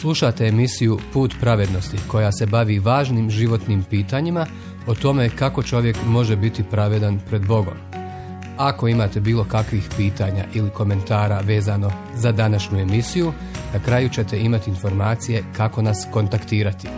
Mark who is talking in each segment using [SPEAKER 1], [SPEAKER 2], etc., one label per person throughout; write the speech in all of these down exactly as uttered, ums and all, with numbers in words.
[SPEAKER 1] Slušate emisiju Put pravednosti koja se bavi važnim životnim pitanjima o tome kako čovjek može biti pravedan pred Bogom. Ako imate bilo kakvih pitanja ili komentara vezano za današnju emisiju, na kraju ćete imati informacije kako nas kontaktirati.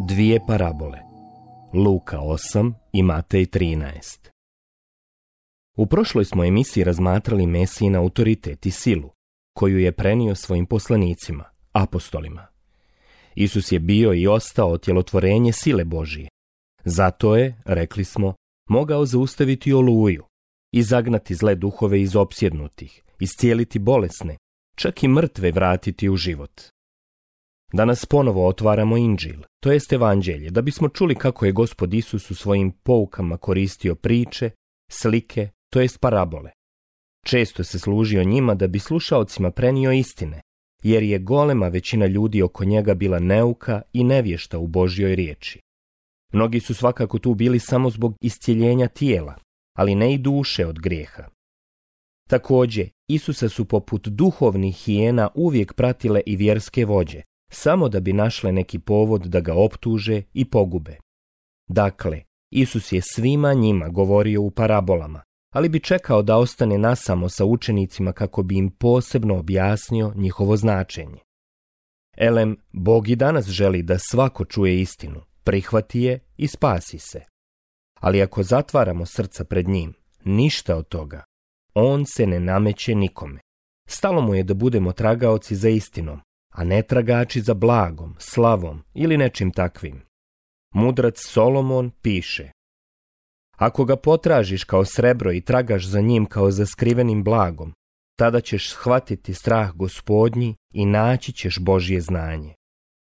[SPEAKER 2] Dvije parabole, Luka osam i Matej trinaest. U prošloj smo emisiji razmatrali Mesijin autoritet i silu, koju je prenio svojim poslanicima, apostolima. Isus je bio i ostao otjelotvorenje sile Božije. Zato je, rekli smo, mogao zaustaviti oluju, izagnati zle duhove iz opsjednutih, iscijeliti bolesne, čak i mrtve vratiti u život. Danas ponovo otvaramo Inđil, to jest Evanđelje, da bismo čuli kako je Gospod Isus u svojim poukama koristio priče, slike, to jest parabole. Često se služio njima da bi slušaocima prenio istine, jer je golema većina ljudi oko njega bila neuka i nevješta u Božjoj riječi. Mnogi su svakako tu bili samo zbog iscjeljenja tijela, ali ne i duše od grijeha. Također, Isusa su poput duhovnih hijena uvijek pratile i vjerske vođe, samo da bi našle neki povod da ga optuže i pogube. Dakle, Isus je svima njima govorio u parabolama, ali bi čekao da ostane nasamo sa učenicima kako bi im posebno objasnio njihovo značenje. Elem, Bog i danas želi da svako čuje istinu, prihvati je i spasi se. Ali ako zatvaramo srca pred njim, ništa od toga. On se ne nameće nikome. Stalo mu je da budemo tragaoci za istinom, a ne tragači za blagom, slavom ili nečim takvim. Mudrac Solomon piše: ako ga potražiš kao srebro i tragaš za njim kao za skrivenim blagom, tada ćeš shvatiti strah Gospodnji i naći ćeš Božje znanje.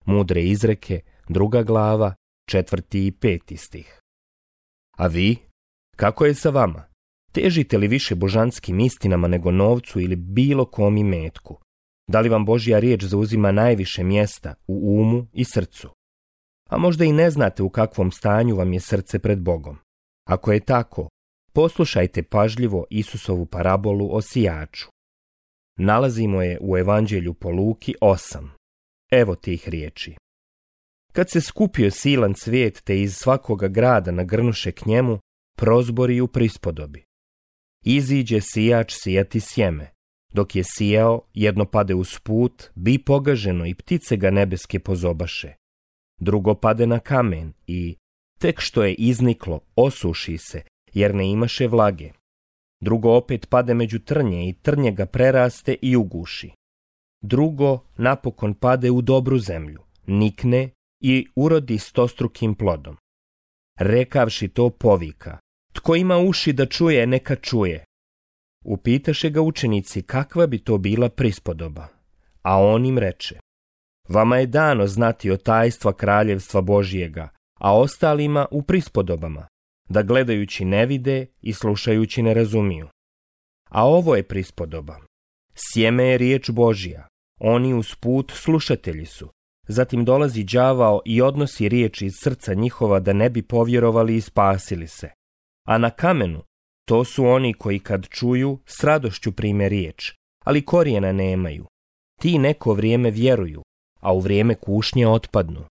[SPEAKER 2] Mudre izreke, druga glava, četvrti i peti stih. A vi? Kako je sa vama? Težite li više božanskim istinama nego novcu ili bilo kom imetku? Da li vam Božja riječ zauzima najviše mjesta u umu i srcu? A možda i ne znate u kakvom stanju vam je srce pred Bogom. Ako je tako, poslušajte pažljivo Isusovu parabolu o sijaču. Nalazimo je u Evanđelju po Luki osam. Evo tih riječi. Kad se skupio silan cvijet te iz svakoga grada nagrnuše k njemu, prozbori u prispodobi. Iziđe sijač sijati sjeme. Dok je sijao, jedno pade uz put, bi pogaženo i ptice ga nebeske pozobaše. Drugo pade na kamen i, tek što je izniklo, osuši se, jer ne imaše vlage. Drugo opet pade među trnje i trnje ga preraste i uguši. Drugo napokon pade u dobru zemlju, nikne i urodi stostrukim plodom. Rekavši to povika: tko ima uši da čuje, neka čuje. Upitaše ga učenici kakva bi to bila prispodoba, a on im reče: vama je dano znati o tajstva kraljevstva Božjega, a ostalima u prispodobama, da gledajući ne vide i slušajući ne razumiju. A ovo je prispodoba. Sjeme je riječ Božja, oni usput slušatelji su. Zatim dolazi đavao i odnosi riječ iz srca njihova da ne bi povjerovali i spasili se. A na kamenu, to su oni koji kad čuju, s radošću prime riječ, ali korijena nemaju. Ti neko vrijeme vjeruju, a u vrijeme kušnje otpadnu.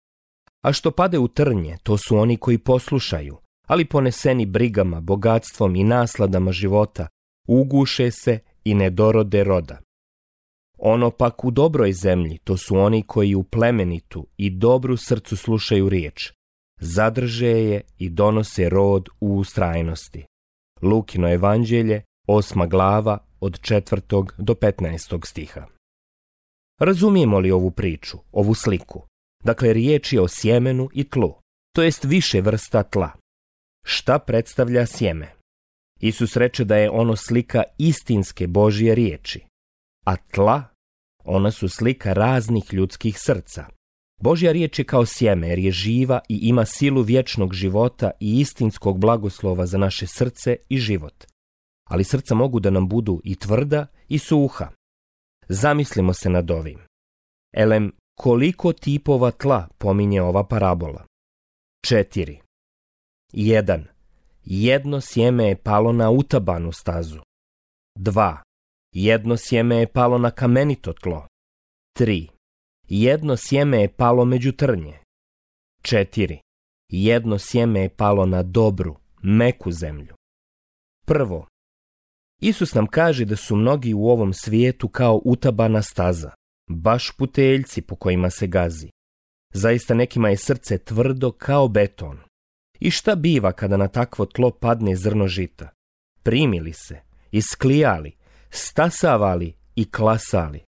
[SPEAKER 2] A što pade u trnje, to su oni koji poslušaju, ali poneseni brigama, bogatstvom i nasladama života, uguše se i ne dorode roda. Ono pak u dobroj zemlji, to su oni koji u plemenitu i dobru srcu slušaju riječ, zadrže je i donose rod u ustrajnosti. Lukino Evanđelje, osma glava, od četvrtog do petnaestog stiha. Razumijemo li ovu priču, ovu sliku? Dakle, riječ je o sjemenu i tlu, to jest više vrsta tla. Šta predstavlja sjeme? Isus reče da je ono slika istinske Božje riječi, a tla, ona su slika raznih ljudskih srca. Božja riječ je kao sjeme jer je živa i ima silu vječnog života i istinskog blagoslova za naše srce i život. Ali srca mogu da nam budu i tvrda i suha. Zamislimo se nad ovim. Elem, koliko tipova tla pominje ova parabola? Četiri. Jedan. Jedno sjeme je palo na utabanu stazu. Dva. Jedno sjeme je palo na kamenito tlo. Tri. Jedno sjeme je palo među trnje. Četiri. Jedno sjeme je palo na dobru, meku zemlju. Prvo. Isus nam kaže da su mnogi u ovom svijetu kao utabana staza, baš puteljci po kojima se gazi. Zaista nekima je srce tvrdo kao beton. I šta biva kada na takvo tlo padne zrno žita? Primili se, isklijali, stasavali i klasali.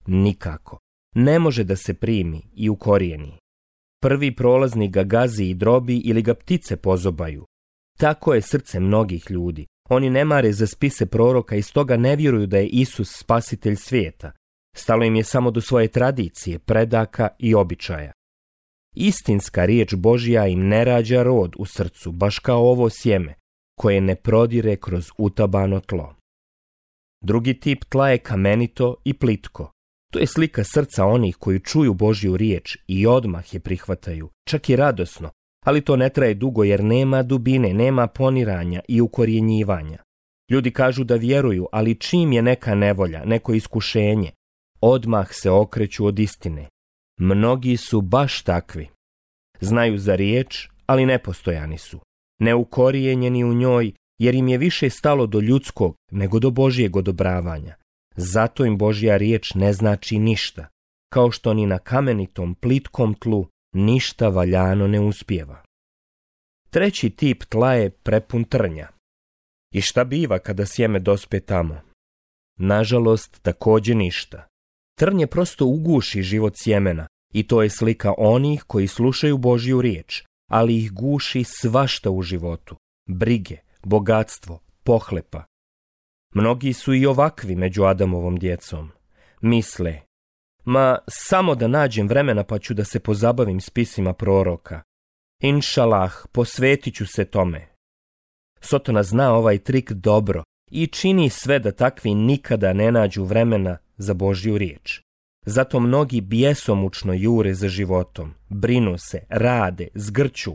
[SPEAKER 2] Nikako. Ne može da se primi i ukorijeni. Prvi prolaznik ga gazi i drobi ili ga ptice pozobaju. Tako je srce mnogih ljudi. Oni ne mare za spise proroka i stoga ne vjeruju da je Isus spasitelj svijeta. Stalo im je samo do svoje tradicije, predaka i običaja. Istinska riječ Božja im ne rađa rod u srcu, baš kao ovo sjeme, koje ne prodire kroz utabano tlo. Drugi tip tla je kamenito i plitko. To je slika srca onih koji čuju Božju riječ i odmah je prihvataju, čak i radosno, ali to ne traje dugo jer nema dubine, nema poniranja i ukorjenjivanja. Ljudi kažu da vjeruju, ali čim je neka nevolja, neko iskušenje, odmah se okreću od istine. Mnogi su baš takvi. Znaju za riječ, ali nepostojani su. Neukorijenjeni u njoj, jer im je više stalo do ljudskog nego do Božjeg odobravanja. Zato im Božja riječ ne znači ništa, kao što ni na kamenitom, plitkom tlu ništa valjano ne uspijeva. Treći tip tla je prepun trnja. I šta biva kada sjeme dospe tamo? Nažalost, također ništa. Trnje prosto uguši život sjemena i to je slika onih koji slušaju Božju riječ, ali ih guši svašta u životu. Brige, bogatstvo, pohlepa. Mnogi su i ovakvi među Adamovom djecom. Misle, ma samo da nađem vremena pa ću da se pozabavim spisima proroka. Inšalah, posvetit ću se tome. Sotona zna ovaj trik dobro i čini sve da takvi nikada ne nađu vremena za Božju riječ. Zato mnogi bjesomučno jure za životom, brinu se, rade, zgrću,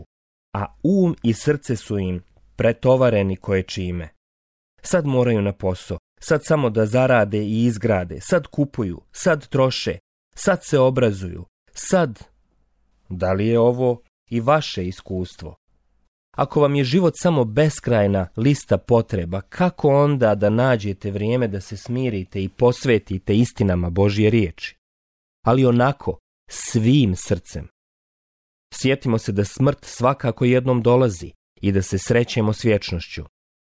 [SPEAKER 2] a um i srce su im pretovareni koje čime. Sad moraju na posao, sad samo da zarade i izgrade, sad kupuju, sad troše, sad se obrazuju, sad... Da li je ovo i vaše iskustvo? Ako vam je život samo beskrajna lista potreba, kako onda da nađete vrijeme da se smirite i posvetite istinama Božje riječi? Ali onako, svim srcem. Sjetimo se da smrt svakako jednom dolazi i da se srećemo s vječnošću.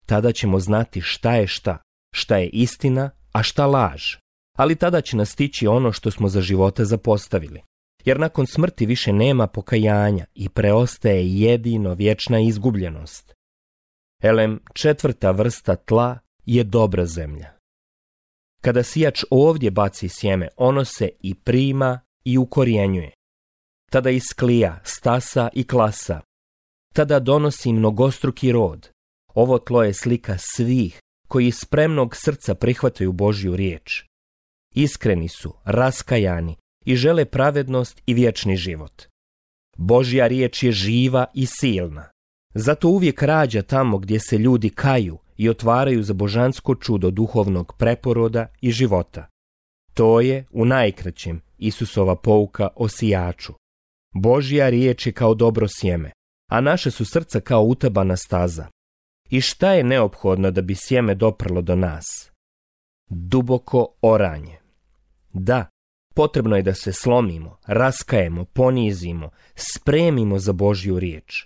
[SPEAKER 2] Tada ćemo znati šta je šta, šta je istina, a šta laž. Ali tada će nas stići ono što smo za života zapostavili. Jer nakon smrti više nema pokajanja i preostaje jedino vječna izgubljenost. Elem, četvrta vrsta tla je dobra zemlja. Kada sijač ovdje baci sjeme, ono se i prima i ukorjenjuje. Tada isklija, stasa i klasa. Tada donosi mnogostruki rod. Ovo tlo je slika svih koji iz spremnog srca prihvataju Božju riječ. Iskreni su, raskajani i žele pravednost i vječni život. Božja riječ je živa i silna. Zato uvijek rađa tamo gdje se ljudi kaju i otvaraju za božansko čudo duhovnog preporoda i života. To je, u najkraćem, Isusova pouka o sijaču. Božja riječ je kao dobro sjeme, a naše su srca kao utabana staza. I šta je neophodno da bi sjeme doprlo do nas? Duboko oranje. Da, potrebno je da se slomimo, raskajemo, ponizimo, spremimo za Božju riječ.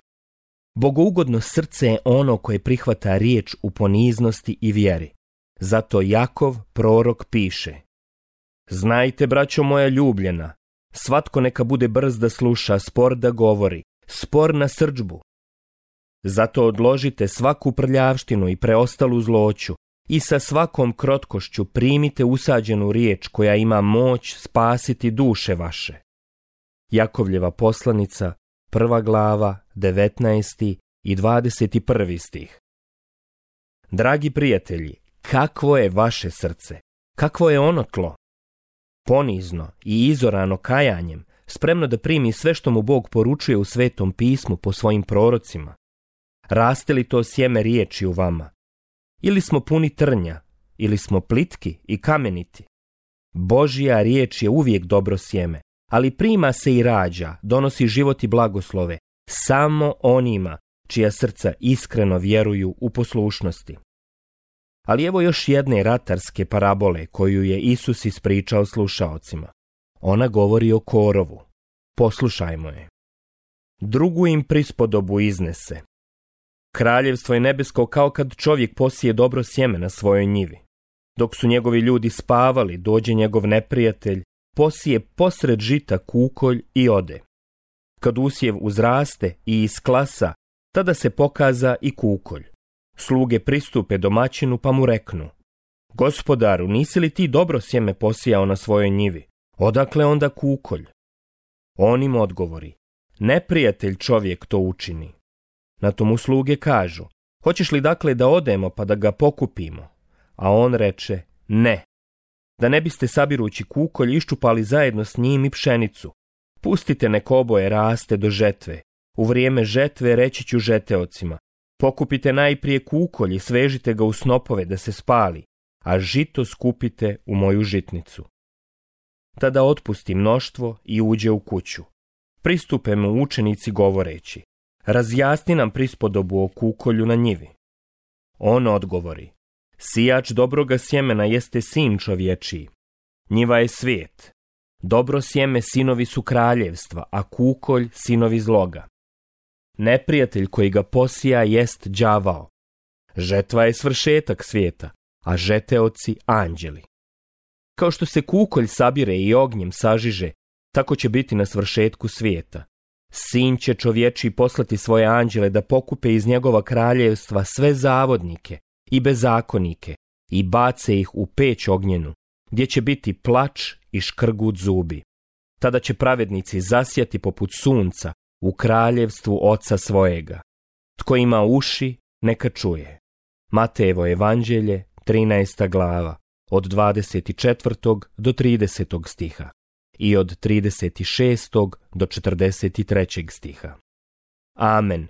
[SPEAKER 2] Bogougodno srce je ono koje prihvata riječ u poniznosti i vjeri. Zato Jakov, prorok, piše: Znajte, braćo moja ljubljena, svatko neka bude brz da sluša, spor da govori, spor na srdžbu. Zato odložite svaku prljavštinu i preostalu zloću i sa svakom krotkošću primite usađenu riječ koja ima moć spasiti duše vaše. Jakovljeva poslanica, prva glava, devetnaesti i dvadeset prvi stih. Dragi prijatelji, kakvo je vaše srce? Kakvo je ono tlo? Ponizno i izorano kajanjem, spremno da primi sve što mu Bog poručuje u Svetom pismu po svojim prorocima. Raste li to sjeme riječi u vama? Ili smo puni trnja, ili smo plitki i kameniti? Božja riječ je uvijek dobro sjeme, ali prima se i rađa, donosi život i blagoslove, samo onima čija srca iskreno vjeruju u poslušnosti. Ali evo još jedne ratarske parabole koju je Isus ispričao slušaocima. Ona govori o korovu. Poslušajmo je. Drugu im prispodobu iznese. Kraljevstvo je nebesko kao kad čovjek posije dobro sjeme na svojoj njivi. Dok su njegovi ljudi spavali, dođe njegov neprijatelj, posije posred žita kukolj i ode. Kad usjev uzraste i isklasa, tada se pokaza i kukolj. Sluge pristupe domaćinu pa mu reknu: Gospodaru, nisi li ti dobro sjeme posijao na svojoj njivi? Odakle onda kukolj? On im odgovori: Neprijatelj čovjek to učini. Na to mu sluge kažu: Hoćeš li dakle da odemo pa da ga pokupimo? A on reče: Ne, da ne biste sabirući kukolj iščupali zajedno s njim i pšenicu. Pustite nek oboje raste do žetve. U vrijeme žetve reći ću žeteocima: Pokupite najprije kukolj i svežite ga u snopove da se spali, a žito skupite u moju žitnicu. Tada otpusti mnoštvo i uđe u kuću. Pristupe mu učenici govoreći: Razjasni nam prispodobu o kukolju na njivi. On odgovori: Sijač dobroga sjemena jeste sin čovječiji. Njiva je svijet. Dobro sjeme sinovi su kraljevstva, a kukolj sinovi zloga. Neprijatelj koji ga posija jest đavao. Žetva je svršetak svijeta, a žeteoci anđeli. Kao što se kukolj sabire i ognjem sažiže, tako će biti na svršetku svijeta. Sin će čovječiji poslati svoje anđele da pokupe iz njegova kraljevstva sve zavodnike i bezakonike i bace ih u peć ognjenu, gdje će biti plač i škrgut zubi. Tada će pravednici zasjati poput sunca u kraljevstvu Oca svojega. Tko ima uši, neka čuje. Matejevo evanđelje, trinaesta glava, od dvadeset četvrtog do tridesetog stiha i od trideset šestog do četrdeset trećeg stiha. Amen.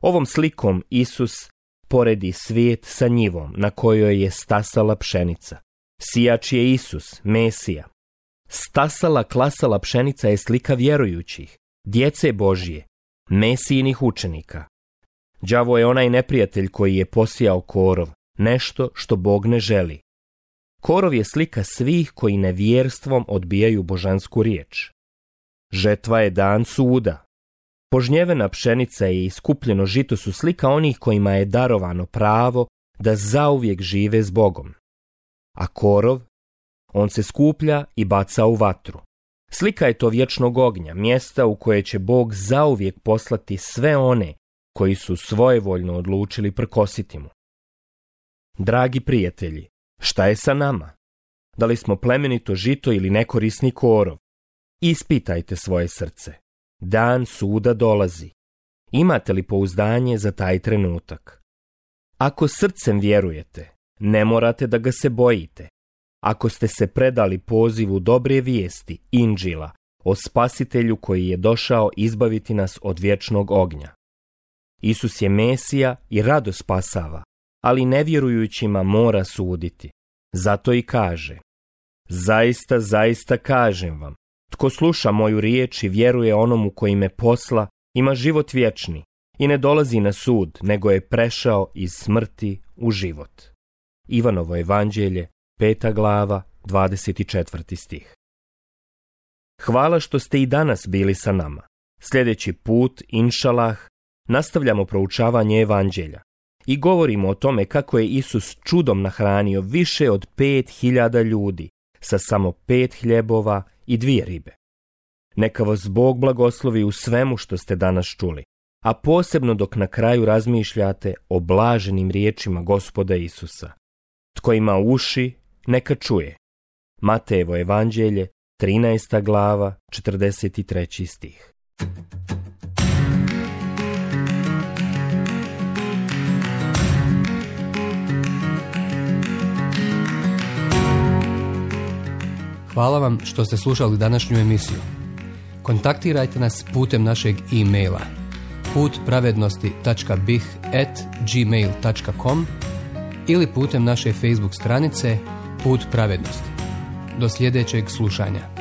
[SPEAKER 2] Ovom slikom Isus poredi svijet sa njivom na kojoj je stasala pšenica. Sijač je Isus, Mesija. Stasala klasala pšenica je slika vjerujućih, djece Božje, Mesijinih učenika. Đavo je onaj neprijatelj koji je posijao korov, nešto što Bog ne želi. Korov je slika svih koji nevjerstvom odbijaju božansku riječ. Žetva je dan suda. Požnjevena pšenica i iskupljeno žito su slika onih kojima je darovano pravo da zauvijek žive s Bogom. A korov, on se skuplja i baca u vatru. Slika je to vječnog ognja, mjesta u koje će Bog zauvijek poslati sve one koji su svojevoljno odlučili prkositi mu. Dragi prijatelji, šta je sa nama? Da li smo plemenito žito ili nekorisni korov? Ispitajte svoje srce. Dan suda dolazi. Imate li pouzdanje za taj trenutak? Ako srcem vjerujete, ne morate da ga se bojite. Ako ste se predali pozivu dobre vijesti, Inđila, o Spasitelju koji je došao izbaviti nas od vječnog ognja. Isus je Mesija i rado spasava, ali nevjerujućima mora suditi. Zato i kaže: Zaista, zaista kažem vam, tko sluša moju riječ i vjeruje onomu koji me posla, ima život vječni i ne dolazi na sud, nego je prešao iz smrti u život. Ivanovo evanđelje, peta glava, dvadeset četvrti stih. Hvala što ste i danas bili sa nama. Sljedeći put, inšalah, nastavljamo proučavanje evanđelja i govorimo o tome kako je Isus čudom nahranio više od pet hiljada ljudi sa samo pet hljebova i dvije ribe. Neka vas Bog blagoslovi u svemu što ste danas čuli, a posebno dok na kraju razmišljate o blaženim riječima Gospoda Isusa. Tko ima uši, neka čuje. Matejevo evanđelje, trinaesta glava, četrdeset treći stih.
[SPEAKER 1] Hvala vam što ste slušali današnju emisiju. Kontaktirajte nas putem našeg e-maila put pravednosti tačka b i h at gmail tačka com ili putem naše Facebook stranice Put pravednosti. Do sljedećeg slušanja.